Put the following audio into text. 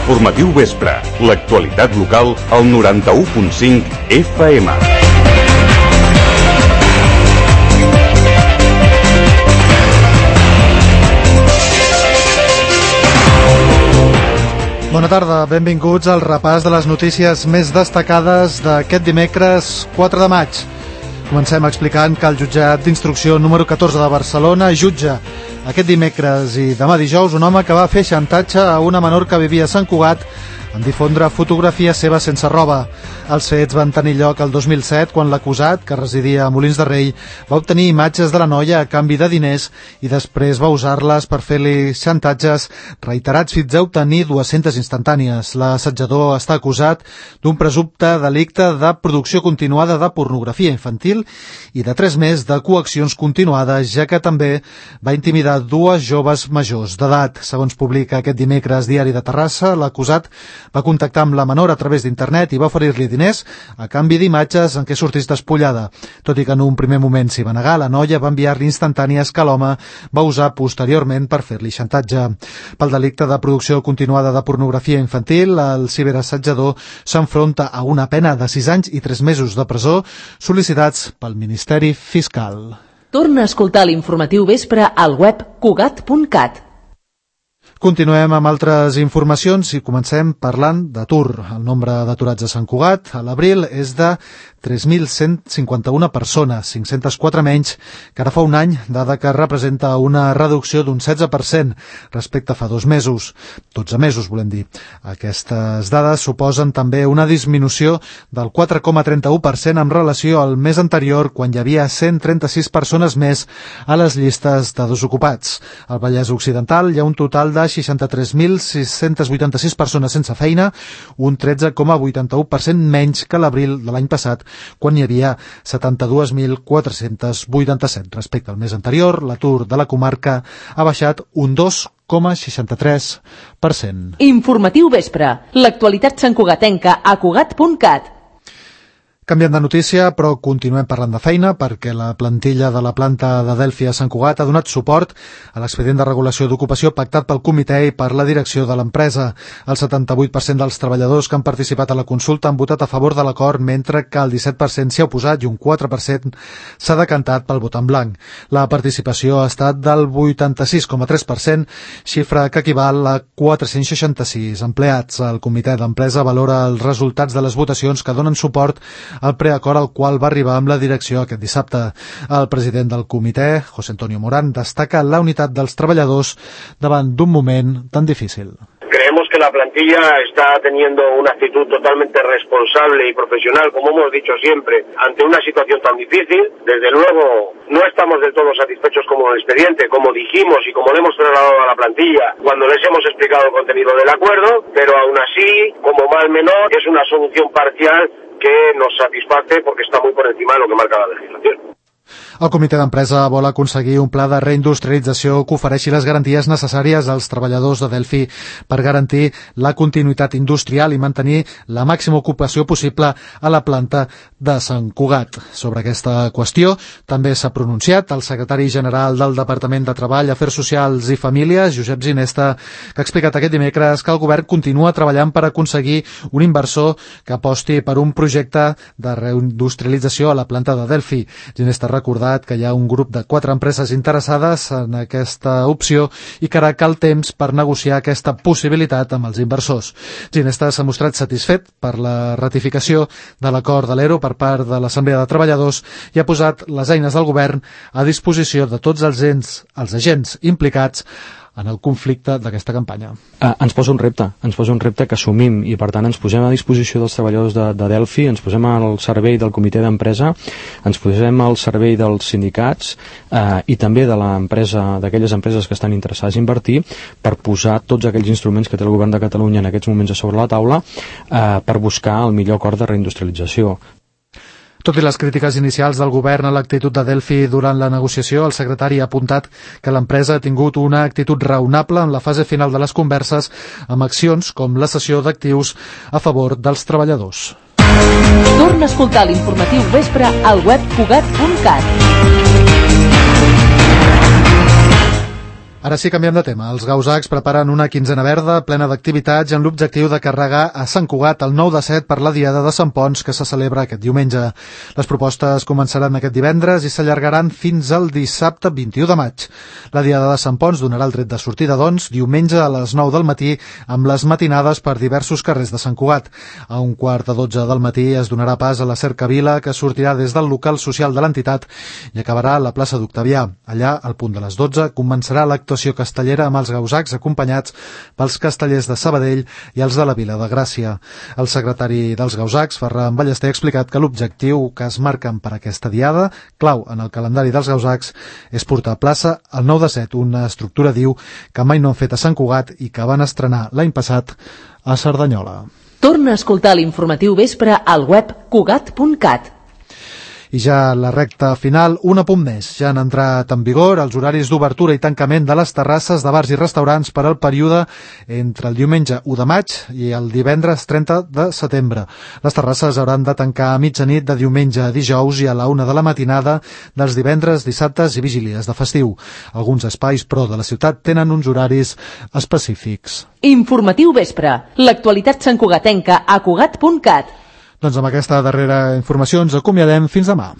Informatiu Vespre, l'actualitat local al 91.5 FM. Bona tarda, benvinguts al repàs de les notícies més destacades d'aquest dimecres 4 de maig. Comencem explicant que el jutjat d'instrucció número 14 de Barcelona jutja aquest dimecres i demà dijous un home que va fer xantatge a una menor que vivia a Sant Cugat en difondre fotografies seves sense roba. Els fets van tenir lloc el 2007 quan l'acusat, que residia a Molins de Rei, va obtenir imatges de la noia a canvi de diners i després va usar-les per fer-li xantatges reiterats fins a obtenir 200 instantànies. L'assetjador està acusat d'un presumpte delicte de producció continuada de pornografia infantil i de 3 més de coaccions continuades, ja que també va intimidar 2 joves majors d'edat. Segons publica aquest dimecres Diari de Terrassa, l'acusat va contactar amb la menor a través d'internet i va oferir-li diners a canvi d'imatges en què sortís despullada. Tot i que en un primer moment s'hi va negar, la noia va enviar-li instantànies que l'home va usar posteriorment per fer-li xantatge. Pel delicte de producció continuada de pornografia infantil, el ciberassetjador s'enfronta a una pena de 6 anys i 3 mesos de presó sol·licitats pel Ministeri Fiscal. Torna a escoltar l'informatiu Vespre al web cugat.cat. Continuem amb altres informacions i comencem parlant d'atur. El nombre d'aturats a Sant Cugat a l'abril és de 3.151 persones, 504 menys que ara fa un any, dada que representa una reducció d'un 16% respecte a fa 2 mesos. 12 mesos, volem dir. Aquestes dades suposen també una disminució del 4,31% en relació al mes anterior, quan hi havia 136 persones més a les llistes de desocupats. Al Vallès Occidental hi ha un total de 63.686 persones sense feina, un 13,81% menys que l'abril de l'any passat, quan hi havia 72.487. Respecte al mes anterior, l'atur de la comarca ha baixat un 2,63%. Informatiu Vespre, l'actualitat santcugatenca a cugat.cat. Canviant de notícia, però continuem parlant de feina, perquè la plantilla de la planta de Delphi a Sant Cugat ha donat suport a l'expedient de regulació d'ocupació pactat pel comitè i per la direcció de l'empresa. El 78% dels treballadors que han participat a la consulta han votat a favor de l'acord, mentre que el 17% s'hi ha oposat i un 4% s'ha decantat pel vot en blanc. La participació ha estat del 86,3%, xifra que equival a 466 empleats. El comitè d'empresa valora els resultats de les votacions que donen suport el preacord al qual va arribar amb la direcció aquest dissabte. El president del comitè, José Antonio Morán, destaca la unitat dels treballadors davant d'un moment tan difícil. Creemos que la plantilla está teniendo una actitud totalmente responsable y profesional, como hemos dicho siempre, ante una situación tan difícil. Desde luego, no estamos del todo satisfechos con el expediente, como dijimos y como le hemos trasladado a la plantilla cuando les hemos explicado el contenido del acuerdo, pero aún así, como mal menor, es una solución parcial que nos satisface porque está muy por encima de lo que marca la legislación. El comitè d'empresa vol aconseguir un pla de reindustrialització que ofereixi les garanties necessàries als treballadors de Delphi per garantir la continuïtat industrial i mantenir la màxima ocupació possible a la planta de Sant Cugat. Sobre aquesta qüestió també s'ha pronunciat el secretari general del Departament de Treball, Afers Socials i Famílies, Josep Ginesta, que ha explicat aquest dimecres que el govern continua treballant per aconseguir un inversor que aposti per un projecte de reindustrialització a la planta de Delphi. Ginesta ha recordat que hi ha un grup de 4 empreses interessades en aquesta opció i que ara cal temps per negociar aquesta possibilitat amb els inversors. Ginesta s'ha mostrat satisfet per la ratificació de l'acord de l'ERO per part de l'Assemblea de Treballadors i ha posat les eines del govern a disposició de tots els agents implicats en el conflicte d'aquesta campanya. Ens posa un repte que assumim i per tant ens posem a disposició dels treballadors de Delphi, ens posem al servei del comitè d'empresa, ens posem al servei dels sindicats i també de l'empresa, d'aquelles empreses que estan interessades a invertir, per posar tots aquells instruments que té el govern de Catalunya en aquests moments a sobre la taula per buscar el millor acord de reindustrialització. Tot i les crítiques inicials del govern a l'actitud de Delphi durant la negociació, el secretari ha apuntat que l'empresa ha tingut una actitud raonable en la fase final de les converses amb accions com la cessió d'actius a favor dels treballadors. Torna a escoltar l'informatiu Vespre al web cugat.cat. Ara sí, canviem de tema. Els Gausacs preparen una quinzena verda plena d'activitats amb l'objectiu de carregar a Sant Cugat el 9 de 7 per la Diada de Sant Ponç que se celebra aquest diumenge. Les propostes començaran aquest divendres i s'allargaran fins al dissabte 21 de maig. La Diada de Sant Ponç donarà el tret de sortida, doncs, diumenge a les 9 del matí amb les matinades per diversos carrers de Sant Cugat. A 11:45 del matí es donarà pas a la cercavila que sortirà des del local social de l'entitat i acabarà a la plaça d'Octavià. Allà, al punt de les 12, començarà l'actuació castellera amb els Gausacs acompanyats pels castellers de Sabadell i els de la Vila de Gràcia. El secretari dels Gausacs, Ferran Ballester, ha explicat que l'objectiu que es marquen per aquesta diada, clau en el calendari dels Gausacs, és portar a plaça el 9 de 7, una estructura, diu, que mai no han fet a Sant Cugat i que van estrenar l'any passat a Cerdanyola. Torna a escoltar l'informatiu vespre al web cugat.cat. I ja la recta final, un apunt més. Ja han entrat en vigor els horaris d'obertura i tancament de les terrasses de bars i restaurants per al període entre el diumenge 1 de maig i el divendres 30 de setembre. Les terrasses hauran de tancar a mitjanit de diumenge a dijous i a la 1 de la matinada dels divendres, dissabtes i vigílies de festiu. Alguns espais, però, de la ciutat tenen uns horaris específics. Informatiu vespre. L'actualitat santcugatenca a cugat.cat. Doncs amb aquesta darrera informació ens acomiadem fins demà.